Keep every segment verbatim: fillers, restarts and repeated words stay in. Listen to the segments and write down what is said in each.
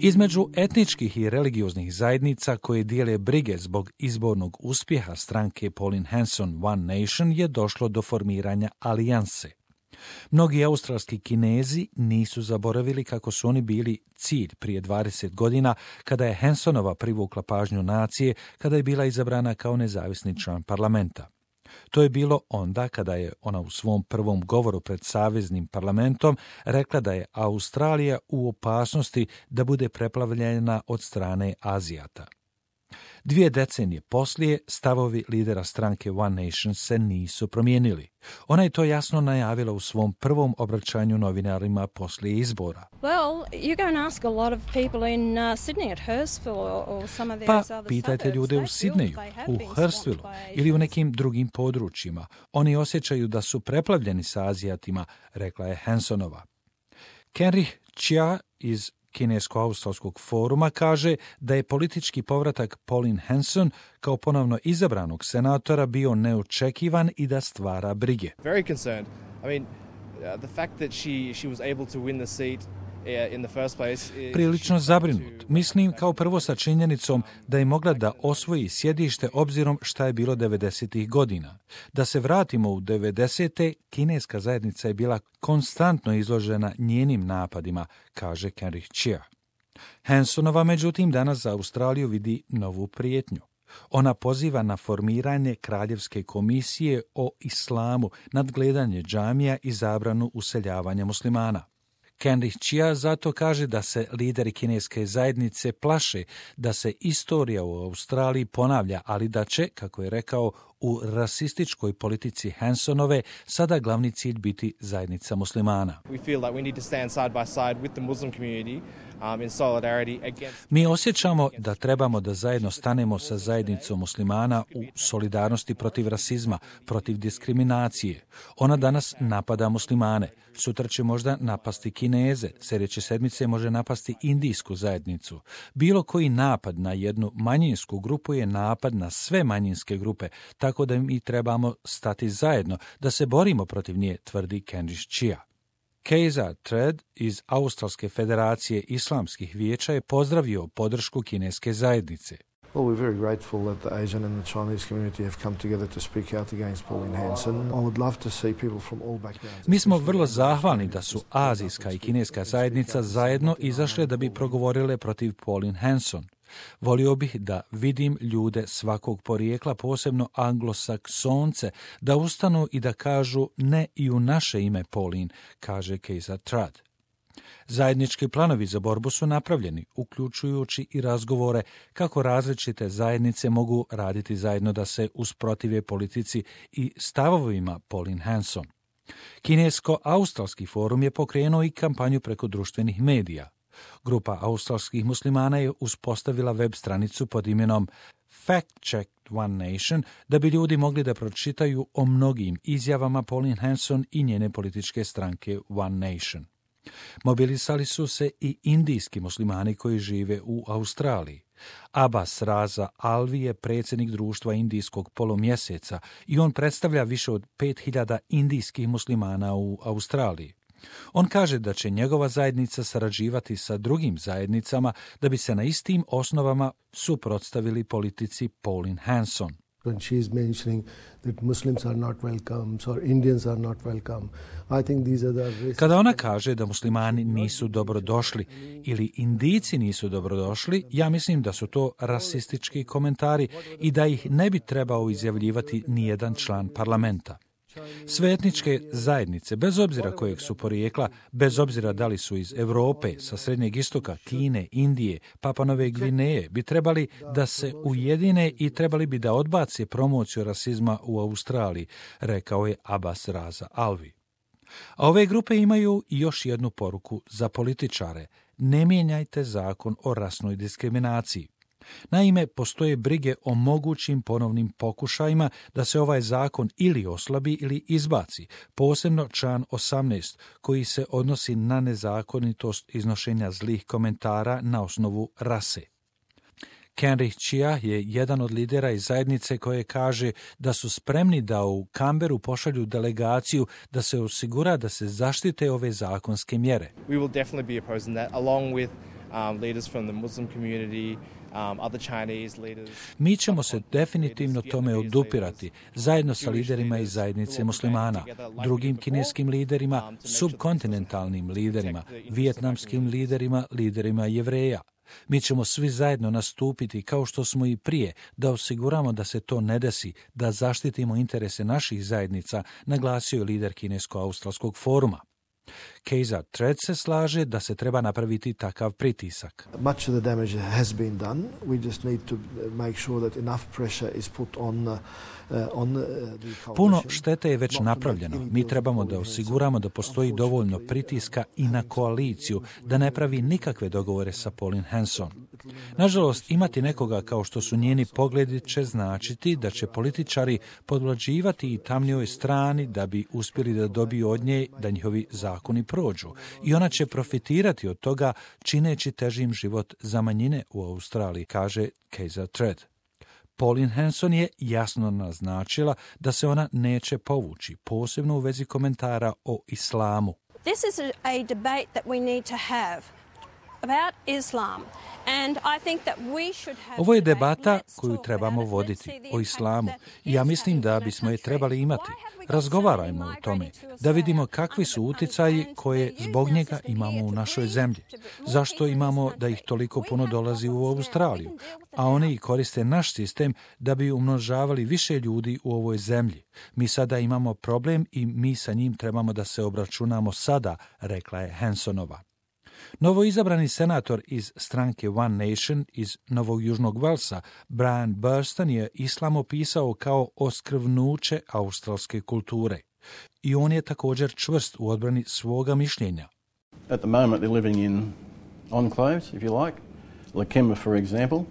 Između etničkih i religioznih zajednica koje dijele brige zbog izbornog uspjeha stranke Pauline Hanson One Nation je došlo do formiranja alijanse. Mnogi australski Kinezi nisu zaboravili kako su oni bili cilj prije dvadeset godina kada je Hansonova privukla pažnju nacije kada je bila izabrana kao nezavisni član parlamenta. To je bilo onda kada je ona u svom prvom govoru pred saveznim parlamentom rekla da je Australija u opasnosti da bude preplavljena od strane Azijata. Dvije decenije poslije stavovi lidera stranke One Nation se nisu promijenili. Ona je to jasno najavila u svom prvom obraćanju novinarima poslije izbora. Well, you're going to ask a lot of people in uh, Sydney at Hurstville or, or some of Pa those other pitajte suburbs. ljude u They feel Sidneju, they have u been Hurstville swamped by ili u Asians. nekim drugim područjima. Oni osjećaju da su preplavljeni sa Azijatima, rekla je Hansonova. Kenrich Chia iz Kinesko-australskog foruma kaže da je politički povratak Pauline Hanson kao ponovno izabranog senatora bio neočekivan i da stvara brige. Very concerned. I mean, uh, the fact that she she was able to win the seat uh, in the first place is Prilično zabrinut. Mislim kao prvo sa činjenicom da je mogla da osvoji sjedište obzirom šta je bilo devedesetih godina. Da se vratimo u devedesete, kineska zajednica je bila konstantno izložena njenim napadima, kaže Kenrich Chia. Hansonova, međutim, danas za Australiju vidi novu prijetnju. Ona poziva na formiranje kraljevske komisije o islamu, nadgledanje džamija i zabranu useljavanja muslimana. Kenrich Chia zato kaže da se lideri kineske zajednice plaše da se istorija u Australiji ponavlja, ali da će, kako je rekao, u rasističkoj politici Hansonove sada glavni cilj biti zajednica muslimana. we feel like we need to stand side by side with the Muslim community um, in solidarity against Mi osjećamo da trebamo da zajedno stanemo sa zajednicom muslimana u solidarnosti protiv rasizma, protiv diskriminacije. Ona danas napada muslimane. Sutra će možda napasti Kineze, sljedeće sedmice može napasti indijsku zajednicu. Bilo koji napad na jednu manjinsku grupu je napad na sve manjinske grupe, tako da mi trebamo stati zajedno, da se borimo protiv nje, tvrdi Kenrich Chia. Kejza Tred iz Australske federacije islamskih vijeća je pozdravio podršku kineske zajednice. Well, we're very grateful that the Asian and the Chinese community have come together to speak out against Pauline Hanson. I would love to see people from all backgrounds. Mi smo vrlo zahvalni da su azijska i kineska zajednica zajedno izašle da bi progovorile protiv Pauline Hanson. Volio bih da vidim ljude svakog porijekla, posebno anglosaksonce, da ustanu i da kažu ne i u naše ime Pauline, kaže Kejza Trad. Zajednički planovi za borbu su napravljeni, uključujući i razgovore kako različite zajednice mogu raditi zajedno da se usprotive politici i stavovima Pauline Hanson. Kinesko-australski forum je pokrenuo i kampanju preko društvenih medija. Grupa australskih muslimana je uspostavila web stranicu pod imenom Fact Check One Nation da bi ljudi mogli da pročitaju o mnogim izjavama Pauline Hanson i njene političke stranke One Nation. Mobilisali su se i indijski muslimani koji žive u Australiji. Abbas Raza Alvi je predsjednik društva indijskog polumjeseca i on predstavlja više od pet hiljada indijskih muslimana u Australiji. On kaže da će njegova zajednica sarađivati sa drugim zajednicama da bi se na istim osnovama suprotstavili politici Pauline Hanson. When she is mentioning that Muslims are not welcome or Indians are not welcome, I think these are the racist... Kada ona kaže da muslimani nisu dobrodošli ili Indijci nisu dobrodošli, ja mislim da su to rasistički komentari i da ih ne bi trebao izjavljivati nijedan član parlamenta. Sve etničke zajednice, bez obzira kojeg su porijekla, bez obzira da li su iz Europe, sa Srednjeg istoka, Kine, Indije, Papua Nove Gvineje, bi trebali da se ujedine i trebali bi da odbace promociju rasizma u Australiji, rekao je Abbas Raza Alvi. A ove grupe imaju i još jednu poruku za političare. Ne mijenjajte zakon o rasnoj diskriminaciji. Naime, postoje brige o mogućim ponovnim pokušajima da se ovaj zakon ili oslabi ili izbaci, posebno član osamnaest, koji se odnosi na nezakonitost iznošenja zlih komentara na osnovu rase. Kenrich Chia je jedan od lidera iz zajednice koje kaže da su spremni da u Canberu pošalju delegaciju da se osigura da se zaštite ove zakonske mjere. we will definitely be opposing that along with um, leaders from the Muslim community, um, other Chinese leaders. Mi ćemo se definitivno tome odupirati, zajedno sa liderima iz zajednice muslimana, drugim kineskim liderima, subkontinentalnim liderima, vijetnamskim liderima, liderima Jevreja. Mi ćemo svi zajedno nastupiti kao što smo i prije, da osiguramo da se to ne desi, da zaštitimo interese naših zajednica, naglasio je lider Kinesko-australskog foruma. Kejza Tred se slaže da se treba napraviti takav pritisak. Much of the damage has been done. We just need to make sure that enough pressure is put on uh, on the coalition. Puno štete je već napravljeno. Mi trebamo da osiguramo da postoji dovoljno pritiska i na koaliciju, da ne pravi nikakve dogovore sa Pauline Hanson. Nažalost, imati nekoga kao što su njeni pogledi će značiti da će političari podvlađivati i tamnijoj strani da bi uspjeli da dobiju od nje da njihovi zakoni prođu. I ona će profitirati od toga čineći težim život za manjine u Australiji, kaže Kejza Tred. Pauline Hanson je jasno naznačila da se ona neće povući, posebno u vezi komentara o islamu. This is a, a debate that we need to have about Islam. And I think that we should have Ovo je debata koju trebamo voditi o islamu i ja mislim da bismo je trebali imati. Razgovarajmo o tome, da vidimo kakvi su uticaji koje zbog njega imamo u našoj zemlji. Zašto imamo da ih toliko puno dolazi u Australiju, a oni i koriste naš sistem da bi umnožavali više ljudi u ovoj zemlji. Mi sada imamo problem i mi sa njim trebamo da se obračunamo sada, rekla je Hansonova. Novoizabrani senator iz stranke One Nation iz Novog Južnog Velsa, Brian Burston, je islam opisao kao oskvrnuće australske kulture. I on je također čvrst u odbrani svoga mišljenja. At the moment they're living in enclaves, if you like. Lakemba, for example.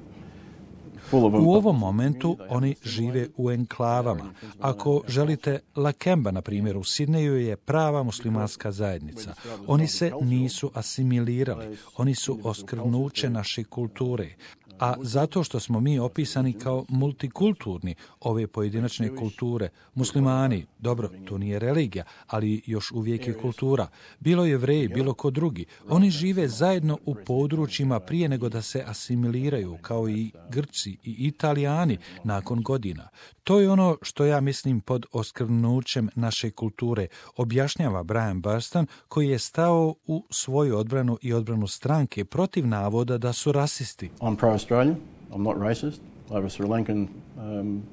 U ovom momentu oni žive u enklavama. Ako želite, Lakemba, na primjer, u Sidneju je prava muslimanska zajednica. Oni se nisu asimilirali. Oni su oskvrnuće naše kulture. A zato što smo mi opisani kao multikulturni, ove pojedinačne kulture, muslimani, dobro, to nije religija, ali još uvijek je kultura, bilo Jevreji, bilo ko drugi, oni žive zajedno u područjima prije nego da se asimiliraju, kao i Grci i Italijani nakon godina. To je ono što ja mislim pod oskvrnućem naše kulture, objašnjava Brian Burston, koji je stao u svoju odbranu i odbranu stranke protiv navoda da su rasisti. I'm pro-Australian. I'm not racist. I have a Sri Lankan um,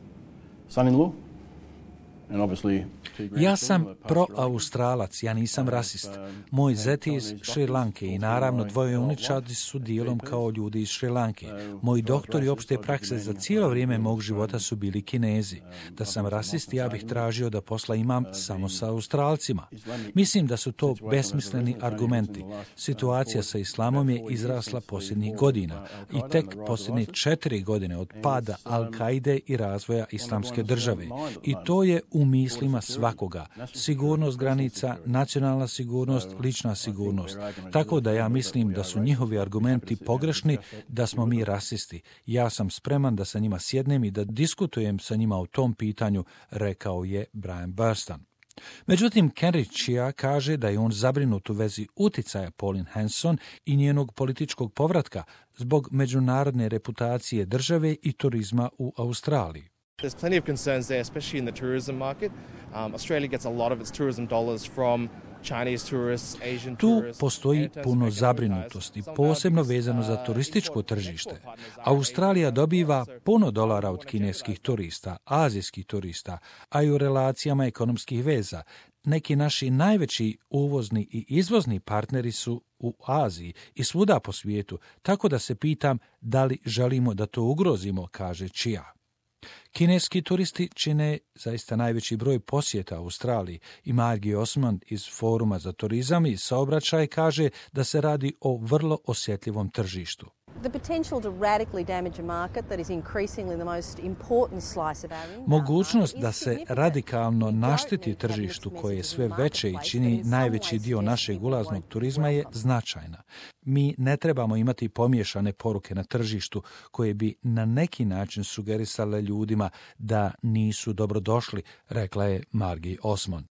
son-in-law. And obviously Ja sam pro-Australac, ja nisam rasist. Moj zet je iz Šri Lanke i naravno dvoje uničadi su dijelom kao ljudi iz Šri Lanke. Moji doktori opšte prakse za cijelo vrijeme mog života su bili Kinezi. Da sam rasist, ja bih tražio da posla imam samo sa Australcima. Mislim da su to besmisleni argumenti. Situacija sa islamom je izrasla posljednjih godina i tek posljednje četiri godine od pada Al-Kaide i razvoja islamske države. I to je u mislima svakoga. Sigurnost granica, nacionalna sigurnost, lična sigurnost. Tako da ja mislim da su njihovi argumenti pogrešni, da smo mi rasisti. Ja sam spreman da sa njima sjednem i da diskutujem sa njima o tom pitanju, rekao je Brian Burston. Međutim, Kenry Chia kaže da je on zabrinut u vezi uticaja Pauline Hanson i njenog političkog povratka zbog međunarodne reputacije države i turizma u Australiji. There's plenty of concerns there, especially in the tourism market. Um, Australia gets a lot of its tourism dollars from Chinese tourists, Asian Tu tourists. postoji puno zabrinutosti, posebno vezano za turističko tržište. Australija dobiva puno dolara od kineskih turista, azijskih turista, a i u relacijama ekonomskih veza. Neki naši najveći uvozni i izvozni partneri su u Aziji i svuda po svijetu, tako da se pitam da li želimo da to ugrozimo, kaže Chia. Kineski turisti čine zaista najveći broj posjeta Australiji i Margie Osmond iz Foruma za turizam i saobraćaj kaže da se radi o vrlo osjetljivom tržištu. Mogućnost da se radikalno našteti tržištu koje je sve veće i čini najveći dio našeg ulaznog turizma je značajna. Mi ne trebamo imati pomiješane poruke na tržištu koje bi na neki način sugerisale ljudima da nisu dobrodošli, rekla je Margie Osmond.